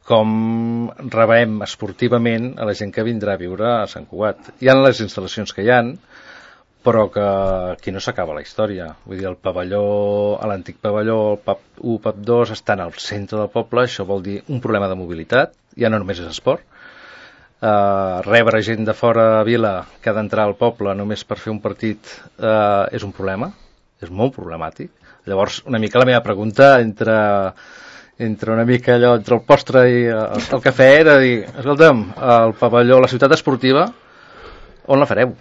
com rebem esportivament a la gent que vindrà a viure a Sant Cugat. Hi ha les instal·lacions que hi han, però que aquí no s'acaba la història. Vull dir, el pavelló, l'antic pavelló, el PAP 1, PAP 2, estan al centre del poble, això vol dir un problema de mobilitat, ja no només és esport. Rebre gent de fora a Vila que ha d'entrar al poble només per fer un partit és un problema, és molt problemàtic. Llavors, una mica la meva pregunta entre una mica allò, entre el postre i el cafè era dir, escolta'm, el pavelló, la ciutat esportiva, on la fareu?